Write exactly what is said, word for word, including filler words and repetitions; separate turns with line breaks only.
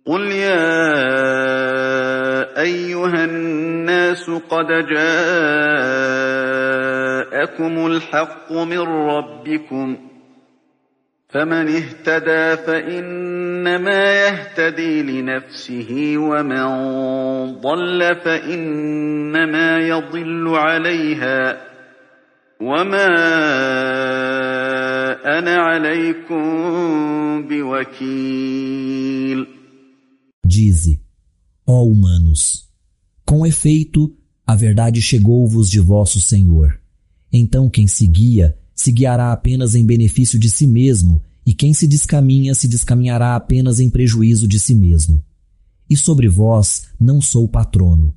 قل يا أيها الناس قد جاءكم الحق من ربكم فمن اهتدى فإنما يهتدي لنفسه ومن ضل فإنما يضل عليها وما أنا عليكم بوكيل.
Dize, ó humanos, com efeito, a verdade chegou-vos de vosso Senhor. Então quem seguia, se guiará apenas em benefício de si mesmo, e quem se descaminha, se descaminhará apenas em prejuízo de si mesmo. E sobre vós não sou patrono,